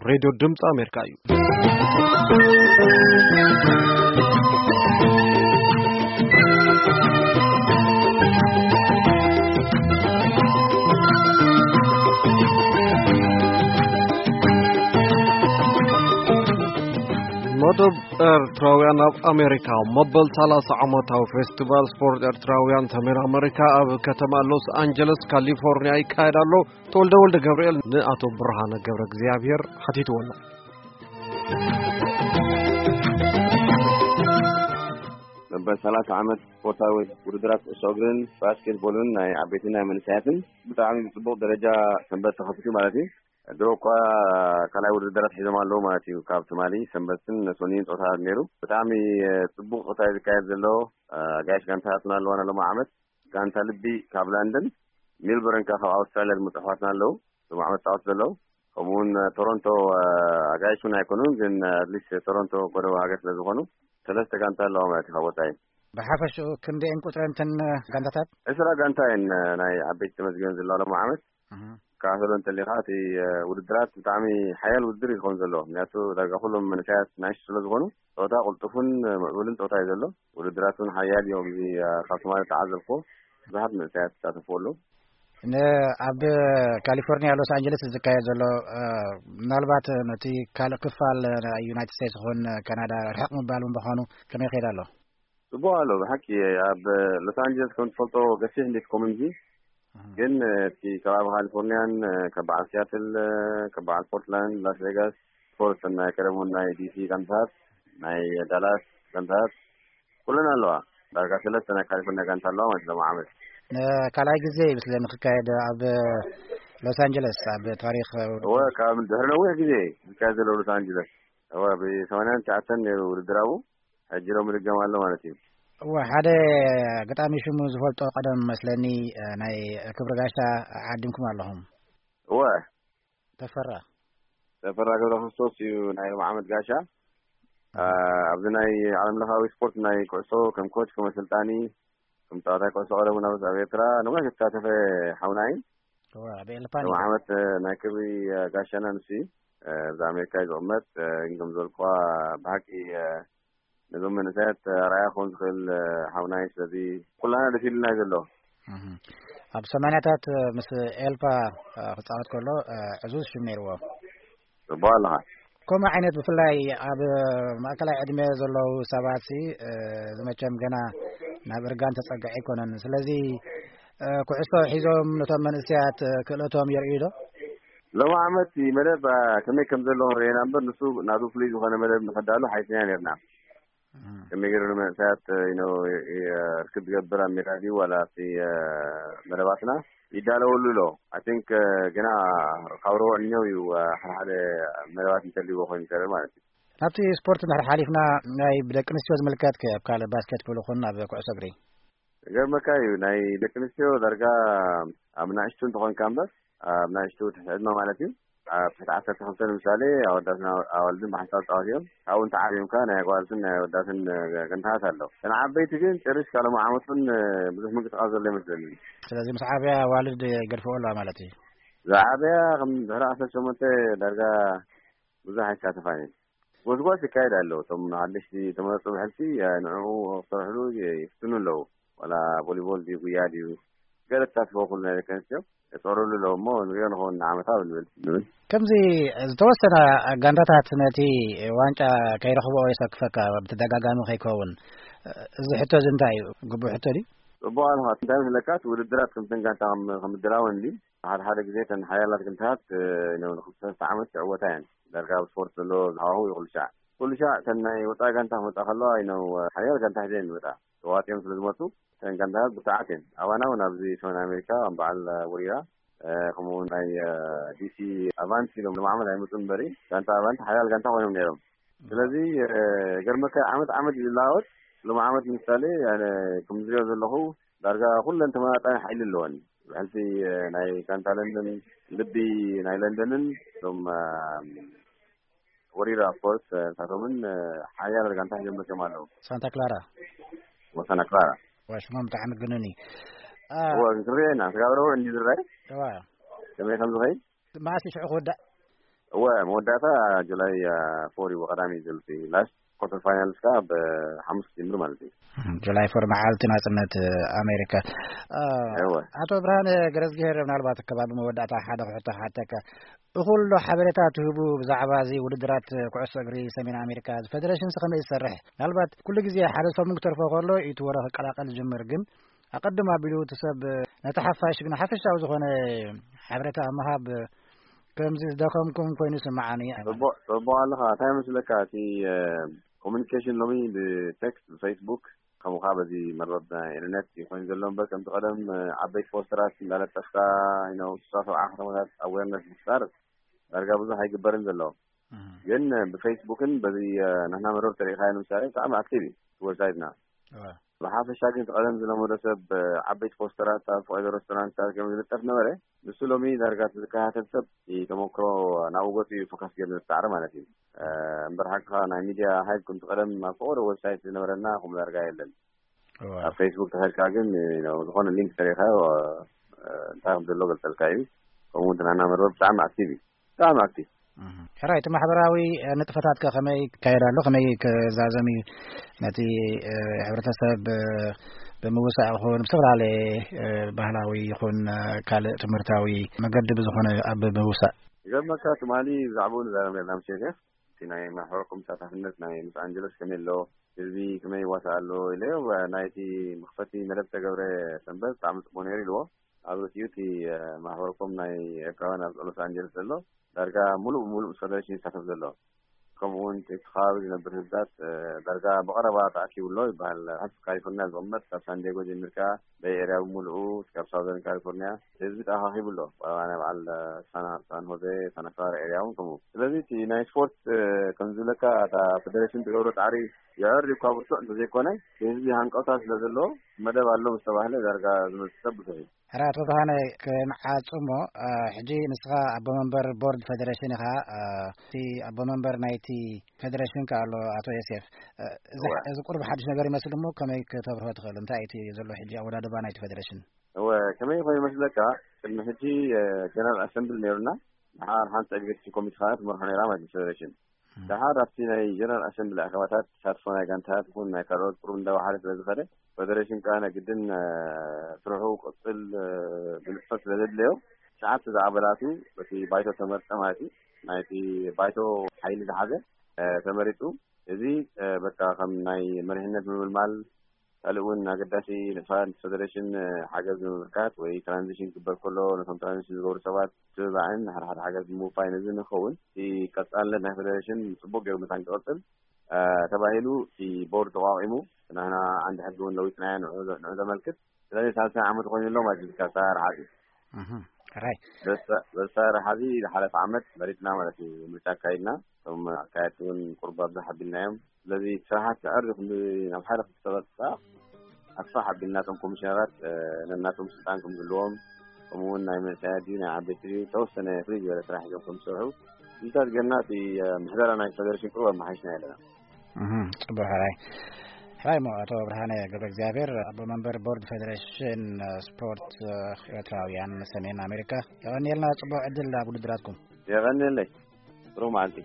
ሬድዮ ድምፂ ኣሜሪካ እዩ። መደብ ኤርትራውያን ኣብ ኣሜሪካ፣ መበል ሰላሳ ዓመታዊ ፌስቲቫል ስፖርት ኤርትራውያን ሰሜን ኣሜሪካ ኣብ ከተማ ሎስ ኣንጀለስ ካሊፎርኒያ ይካየድ ኣሎ። ተወልደ ወልደ ገብርኤል ንኣቶ ብርሃነ ገብረ እግዚኣብሔር ሓቲትዎ ኣሎ። መበል ሰላሳ ዓመት ስፖርታዊ ውድድራት ኩዕሶ እግርን ባስኬትቦልን ናይ ዓበይትን ናይ መንእሰያትን ብጣዕሚ ብፅቡቕ ደረጃ ሰንበት ተኸፊቱ ማለት እዩ። ድሮ እኳ ካልኣይ ውድድራት ሒዞም ኣለዉ ማለት እዩ። ካብ ትማሊ ሰንበትን ሰኑይን ፀወታ ነይሩ። ብጣዕሚ ፅቡቕ ፀወታ እዩ ዝካየድ ዘሎ። ኣጋይሽ ጋንታታትና ኣለዋና ሎሚ ዓመት። ጋንታ ልቢ ካብ ላንደን፣ ሜልቦርን ከኣ ካብ ኣውስትራልያ ዝመፁ ኣሕዋትና ኣለዉ። ሎሚ ዓመት ፃወት ዘለዉ። ከምኡውን ቶሮንቶ ኣጋይሽ እውን ኣይኮኑን፣ ግን ኣትሊስት ቶሮንቶ ጎረባብቲ ሃገር ስለ ዝኾኑ ሰለስተ ጋንታ ኣለዋ ማለት እዩ ካብ ወፃኢ። ብሓፈሽኡ ክንደየን ቁፅረን እተን ጋንታታት? ዕስራ ጋንታ እየን ናይ ዓበይቲ ተመዝጊበን ዘለዋ ሎሚ ዓመት። እህ። ክከታተሎ እንተሊኻ እቲ ውድድራት ብጣዕሚ ሓያል ውድድር እዩ ዝኸውን ዘሎ። ምክንያቱ ዳርጋ ኩሎም መንእሰያት ናእሽቱ ስለ ዝኾኑ ጸወታ ቅልጡፍን ምዕቡልን ጸወታ እዩ ዘሎ። ውድድራት እውን ሓያል እዮም። እዚ ካብ ትማሊ ተዓዘብኩ ብዙሓት መንእሰያት ይሳተፉ ኣለዉ። ን ኣብ ካሊፎርኒያ ሎስ ኣንጀለስ ዝካየድ ዘሎ ምናልባት ነቲ ካልእ ክፋል ናይ ዩናይትድ ስቴትስ ይኹን ካናዳ ርሕቕ ምባል እውን ምዃኑ ከመይ ይኸይድ ኣሎ? ጽቡቕ ኣሎ ብሓቂ። ኣብ ሎስ ኣንጀለስ ከም ትፈልጦ ገፊሕ እንዴት ኮሚኒቲ ግን እቲ ከባቢ ካሊፎርኒያን ካብ በዓል ሲያትል ካብ በዓል ፖርትላንድ ላስ ቬጋስ ስፖርት ናይ ቀደም እውን ናይ ዲሲ ጋንታት ናይ ዳላስ ጋንታት ኩለን ኣለዋ። ዳርጋ ሰለስተ ናይ ካሊፎርኒያ ጋንታ ኣለዋ ማለት ሎም ዓመት። ንካልኣይ ግዜ እዩ ምስለ ንክካየድ ኣብ ሎስ ኣንጀለስ ኣብ ታሪክ እወ ካብ ድሕሪ ነዊሕ ግዜ ዝካየድ ዘሎ ሎስ ኣንጀለስ እወ ብሰማንያን ትሽዓተን ነይሩ ውድድር ኣብኡ ሕጂ ሎም ምድገም ኣሎ ማለት እዩ። እወ ሓደ ኣጋጣሚ ሽሙ ዝፈልጦ ቀደም መስለኒ ናይ ክብሪ ጋሻ ዓዲምኩም ኣለኹም። እወ ተፈራ ተፈራ ገብረ ክርስቶስ እዩ ናይ ሎም ዓመት ጋሻ። ኣብዚ ናይ ዓለም ለኻዊ ስፖርት ናይ ኩዕሶ ከም ኮች ከም ኣሰልጣኒ ከም ተጻዋታይ ኩዕሶ ቀደም እውን ኣብ ኤርትራ ነዊሕ ዝተሳተፈ ሓውና እዩ። እወ ኣብ ኤልፓን ሎም እዩ። ዓመት ናይ ክብሪ ጋሻና ንሱ እዩ። እዛ ኣሜሪካ እዩ ዝቕመጥ። ግን ከም ዝበልኩዋ ብሓቂ ነዞም መንእሰያት ኣርኣያ ክኸውን ዝኽእል ሓውና እዩ። ስለዚ ኩላና ደስ ኢሉና እዩ ዘሎ። እህ። ኣብ ሰማንያታት ምስ ኤልፓ ክጻወት ከሎ ዕዙዝ ሽም ነይርዎ። ጽቡቕ ኣለኻ። ከምኡ ዓይነት ብፍላይ ኣብ ማእከላይ ዕድመ ዘለዉ ሰባት ሲ ዝመቸም ገና ናብ እርጋን ተጸግዐ ኣይኮነን። ስለዚ ኩዕሶ ሒዞም ነቶም መንእሰያት ክእለቶም የርእዩ ዶ? ሎም ዓመት መደብ ከመይ ከም ዘሎ ክንርእየና እምበር ንሱ ናቱ ፍሉይ ዝኾነ መደብ ንኸዳሉ ሓይስና ነርና። ከመይ ገይሩ ንመንእሰያት ርክብ ዝገብር ኣብ ሜዳ ድዩ ዋላ ኣብቲ መደባትና ይዳለወሉ ኣሎ። ኣይ ቲንክ ግና ካብ ረቡዕ ንኛው እዩ ሓደ ሓደ መደባት እንተልዎ ኮይኑ ይሰርሕ ማለት እዩ። ናብቲ ስፖርት እንድሕር ሓሊፍና ናይ ብደቂ ኣንስትዮ ዝምልከት ከ ኣብ ካልእ ባስኬትቦል ይኹን ኣብ ኩዕሶ እግሪ? ገርመካ እዩ ናይ ደቂ ኣንስትዮ ዳርጋ ኣብ ናእሽቱ እንተኾንካ እምበር ኣብ ናእሽቱ ትሕቲ ዕድመ ማለት እዩ ኣብ ትሕቲ ዓሰርተ ክልተ ንምሳሌ ኣወዳትን ኣዋልድን ብሓንሳብ ፃወት እዮም። ካብኡ እንተዓብዮም ከኣ ናይ ኣጓልትን ናይ ኣወዳትን ገንታት ኣሎ። እተን ዓበይቲ ግን ጨሪሽ ካልኦም ዓመት እውን ብዙሕ ምንቅስቃስ ዘሎ ይመስለኒ። ስለዚ ምስ ዓብያ ኣዋልድ ይገድፍኦ ኣለዋ ማለት እዩ። ዝዓብያ ከም ድሕሪ ዓሰርተ ሸሞንተ ዳርጋ ብዙሕ ኣይሳተፋን እየን። ጎስጓስ ይካየድ ኣሎ። እቶም ሓደሽቲ ተመረፁ ብሕልፊ ንዕኡ ክሰርሕሉ ይፍትኑ ኣለዉ። ዋላ ቮሊቦል ድዩ ጉያ ድዩ ገለ ተሳትፎ ኩሉ ናይ ደቂ ኣንስትዮ የፅዕሩሉ ኣለዉ እሞ ንሪኦ ንኸውን ንዓመታ ንብል ንብል። ከምዚ ዝተወሰነ ጋንታታት ነቲ ዋንጫ ከይረኽብኦ የሰክፈካ ብተደጋጋሚ ከይከውን እዚ ሕቶ እዚ እንታይ እዩ? ግቡእ ሕቶ ድዩ? ፅቡቅ ኣለኻ እንታይ መስለካ እቲ ውድድራት ከምተን ጋንታ ከምድላወን ድዩ ሓደ ሓደ ግዜ ተን ሓያላት ጋንታት ንክልተ ሰለስተ ዓመት ይዕወታ እየን። ዳርጋ ኣብ ስፖርት ዘሎ ሃዋሁ እዩ ኩሉ ሻዕ ኩሉ ሻዕ ተን ናይ ወፃኢ ጋንታ ክመፃ ከለዋ እዩ ሓያል ጋንታ ሒዘ እየን ዝመፃ። ተዋፂኦም ስለ ዝመፁ ተን ጋንታት ብርቱዓት እየን። ኣባና እውን ኣብዚ ሰሜን ኣሜሪካ ከም በዓል ወሪራ ከምኡ ናይ ዲሲ ኣቫንስ ኢሎም ሎም ዓመት ኣይመፁ እምበሪ ጋንታ ኣቫንስ ሓያል ጋንታ ኮይኖም ነይሮም። ስለዚ ገርመካ ዓመት ዓመት እዩ ዝለዋወጥ። ሎም ዓመት ምሳሌ ኣነ ከም ዝሪኦ ዘለኹ ዳርጋ ኩለን ተመጣጣኒ ሓይሊ ኣለወን። ብሕልፊ ናይ ጋንታ ለንደን ልቢ ናይ ለንደንን እቶም ወሪራ ኦፍኮርስ ንሳቶምን ሓያል ጋንታ ሒዞም መፅኦም ኣለዉ። ሳንታ ክላራ ወሳና ክላራ። ሽሞም ብጣዕሚ ግኑን እዩ። እወ ክንሪኦ ኢና ስጋብ ረቡዕ እንዲ ዝረኣይ እዋ ከመይ ከም ዝኸይድ። መዓስ እዩ ሽዑ ክውዳእ? እወ፣ መወዳእታ ጁላይ፣ አ፣ ፎር እዩ፣ ቀዳሚ እዩ ዘሎ። ላስት ኳርተር ፋይናልስ ከኣ ብሓሙስ ይጅምር ማለት እዩ። ጁላይ ፎር መዓልቲ ናጽነት ኣሜሪካ። አ፣ እወ። ኣቶ ብርሃነ ገረዝግሄር፣ ምናልባት ከባቢ መወዳእታ ሓደ ክሕቶ ክሓተካ። እኹል ዶ ሓበሬታ ትህቡ ብዛዕባ እዚ ውድድራት ኩዕሶ እግሪ ሰሜን ኣሜሪካ? እዚ ፌደሬሽንስ ከመይ ዝሰርሕ? ምናልባት ኩሉ ግዜ ሓደ ሰሙን ክተርፎ ከሎ እዩ እቲ ወረ ክቀላቀል ዝጅምር፣ ግን ኣቐድም ኣቢሉ እቲ ሰብ ነቲ ሓፋሽ ግን ሓፈሻዊ ዝኾነ ሓበሬታ ኣብ ምሃብ ከምዚ ዝደኸምኩም ኮይኑ ይስምዓኒ። ጽቡቕ፣ ጽቡቕ ኣለኻ። እንታይ መስለካ፣ እቲ፣ እ፣ ኮሙኒኬሽን ሎሚ ብቴክስት፣ ብፌስቡክ፣ ከምኡ ኸዓ በዚ መርበብ ናይ ኢንተርኔት እዩ ኮይኑ ዘሎ እምበር፣ ከምቲ ቀደም፣ እ፣ ዓበይቲ ፖስተራት እንዳለጠፍካ፣ you know፣ ስሳ ሰብዓ ከተማታት ኣዌርነስ ምፍጣር ዳርጋ ብዙሕ ኣይግበርን ዘሎ። እህ። ግን ብፌስቡክን በዚ፣ እ፣ ናህና መርበብ ተሪኢኻዮ ንምሳሌ ብጣዕሚ ኣክቲቭ እዩ እቲ ዌብሳይትና። እወ። ብሓፈሻ ግን እቲ ቀደም ዝለመዶ ሰብ፣ እ፣ ዓበይቲ ፖስተራት ኣብ ፈቐዶ ሬስቶራንትታት ከም ዝልጠፍ ነበረ። ንሱ ሎሚ ዳርጋ እቲ ዝከታተል ሰብ እቲ ተመክሮ ናብኡ ገጹ እዩ ፎካስ ገይሩ ዝሰዕረ ማለት እዩ። እ፣ እምበር ሓቅኻ ናይ ሚድያ ሃይፕ ከምቲ ቀደም ኣብ ፈቐዶ ዌብሳይት ዝነበረና ከምኡ ዳርጋ የለን። እወ። ኣብ ፌስቡክ ተኸድካ ግን፣ እ፣ ዝኾነ ሊንክ ተሪኻዮ፣ እ፣ እንታይ ከም ዘሎ ገልጸልካ እዩ። ከምኡ እውን እቲ ናህና መርበብ ብጣዕሚ ኣክቲቭ እዩ። ብጣዕሚ ኣክቲቭ። እህ። ሕራይ፣ እቲ ማሕበራዊ፣ እ፣ ንጥፈታት ከ ከመይ ይካየድ ኣሎ? ከመይ ክዛዘም እዩ? ነቲ፣ እ፣ ሕብረተሰብ፣ እ፣ ብምውሳእ ይኹን ብዝተፈላለየ፣ እ፣ ባህላዊ ይኹን፣ እ፣ ካልእ ትምህርታዊ መገዲ ብዝኾነ ኣብ ምውሳእ። ይገርመካ፣ ትማሊ ብዛዕባኡ ንዛረብ ነርና ምስ ዮሴፍ። እቲ ናይ ማሕበረኩም ተሳታፍነት ናይ ሎስ ኣንጀለስ ከመይ ኣሎ? ህዝቢ ከመይ ይዋሳእ ኣሎ? ኢለዮ፣ ናይቲ መኽፈቲ መደብ ዝተገብረ ሰንበት ብጣዕሚ ጽቡቕ ነይሩ ኢልዎ። ኣብ ርእሲኡ እቲ፣ እ፣ ማሕበረኮም ናይ ኤርትራውያን ኣብ ሎስ ኣንጀለስ ዘሎ ዳርጋ ሙሉእ ብሙሉእ ምስ ፌደሬሽን ይሳተፍ ዘሎ። ከምኡ እውን እቲ ከባቢ ዝነብር ህዝብታት፣ እ፣ ዳርጋ ብቐረባ ተኣኪቡ ኣሎ ይበሃል። ኣብ ካሊፎርኒያ ዝቕመጥ ካብ ሳንዲያጎ ጀሚርካ በይ ኤርያ ብምሉኡ፣ ካብ ሳውዘርን ካሊፎርኒያ ህዝቢ ተኣኻኺቡ ኣሎ። ብቐረባ ናይ በዓል፣ እ፣ ሳና-፣ ሳን ሆዜ፣ ሳንታ ክላራ ኤርያ እውን ከምኡ። ስለዚ እቲ ናይ ስፖርት፣ እ፣ ከም ዝብለካ እታ ፌደሬሽን ትገብሮ ጻዕሪ የዕር እኳ ብርቱዕ እንተዘይኮነ፣ ህዝቢ ሃንቀውታ ስለ ዘለዎ መደብ ኣሎ ምስ ተባህለ ዳርጋ ዝመጽእ ሰብ ብዙሕ እዩ። ሕራይ ኣቶ ብርሃነ፣ ክንዓጽሞ፣ እ፣ ሕጂ ንስኻ ኣቦ መንበር ቦርድ ፌደሬሽን ኢኻ። እ፣ እቲ ኣቦ መንበር ናይቲ ፌደሬሽን ከኣ ኣሎ ኣቶ ዮሴፍ። እ፣ እዚ እወ። ሕ-፣ እዚ ቁሩብ ሓድሽ ነገር ይመስል እሞ ከመይ ከተብርሆ ትኽእል? እንታይ እዩ እቲ ዘሎ ሕጂ ኣወዳድባ ናይቲ ፌደሬሽን? እወ፣ ከመይ ኮይኑ ይመስለካ? ቅድሚ ሕጂ፣ እ፣ ጀነራል ኣሰምብሊ ነይሩና። ንሓ-፣ ሓንቲ ኤግዚኪቲቭ ኮሚቴ ከኣ ትመርሖ ነይራ ማለት እዩ ፌደሬሽን። እም። ደሓር ኣብቲ ናይ ጀነራል ኣሰምብሊ ኣኼባታት ተሳትፎ ናይ ጋንታታት ይኹን ናይ ካልኦት ቁሩብ እንዳወሓደ ስለ ዝኸደ፣ ፌደሬሽን ከኣ ናይ ግድን፣ እ፣ ስርሑ ክቕጽል፣ እ፣ ብንጥፈት ስለ ዘድለዮ፣ ትሽዓተ ዝኣባላቱ በቲ ባይቶ ተመርጸ ማለት እዩ። ናይቲ ባይቶ ሓይሊ ዝሓዘ፣ እ፣ ተመሪጹ። እዚ፣ እ፣ በቃ ከም ናይ መሪሕነት ምምልማል፣ ካልእ እውን ኣገዳሲ ንጥፈታት ፌደሬሽን፣ እ፣ ሓገዝ ንምብርካት ወይ ትራንዚሽን ክግበር ከሎ ነቶም ትራንዚሽን ዝገብሩ ሰባት ምትብባዕን ሓደ ሓደ ሓገዝ ንምውፋይ ነዚ ንኸውን እቲ ቀጻልነት ናይ ፌደሬሽን ጽቡቕ ገይሩ ምእንታን ክቕጽል፣ እ፣ ተባሂሉ እቲ ቦርድ ተቋቒሙ፣ ናህና ዓንዲ ሕጊ እውን ለዊጥናዮ ንዑ ዘ-፣ ንዑ ዘመልክት። ስለዚ ሳልሳይ ዓመት ኮይኑ ኣሎ ማለት እዩ፣ ካብ ኣሰራርሓ እዚ። እህ፣ ሕራይ። በዚ ኣሰራርሓ እዚ ዝሓለፈ ዓመት መሪጽና ማለት እዩ፣ ምርጫ ኣካይድና። እቶም ኣካየድቲ እውን ቁሩብ ኣብዝሕ ኣቢልናዮም። ስለዚ ስራሓት ክዕር ክንዲ ናብ ሓደ ክልተ ወርሒ ኣስፋሕ ኣቢልና እቶም ኮሚሽነራት፣ እ፣ ነናቶም ስልጣን ከም ዝህልዎም፣ ከምኡ እውን ናይ መንእሰያት ድዩ ናይ ዓበይቲ ድዩ ተወሰነ ፍልይ ዝበለ ስራሕ ሒዞም ከም ዝሰርሑ ምልክታት ጌርና እቲ፣ እ፣ ምሕደራ ናይ ፌደሬሽን ቁሩብ ኣመሓይሽና ኣለና። እህ፣ ጽቡቕ ሕራይ። ሕራይ እሞ ኣቶ ብርሃነ ገብረ እግዚኣብሔር ኣቦ መንበር ቦርድ ፌደሬሽን፣ እ፣ ስፖርት፣ እ፣ ኤርትራውያን ሰሜን ኣሜሪካ፣ የቐንየልና ጽቡቕ ዕድል ኣብ ውድድራትኩም። የቐንየለይ። ጥሩ መዓልቲ።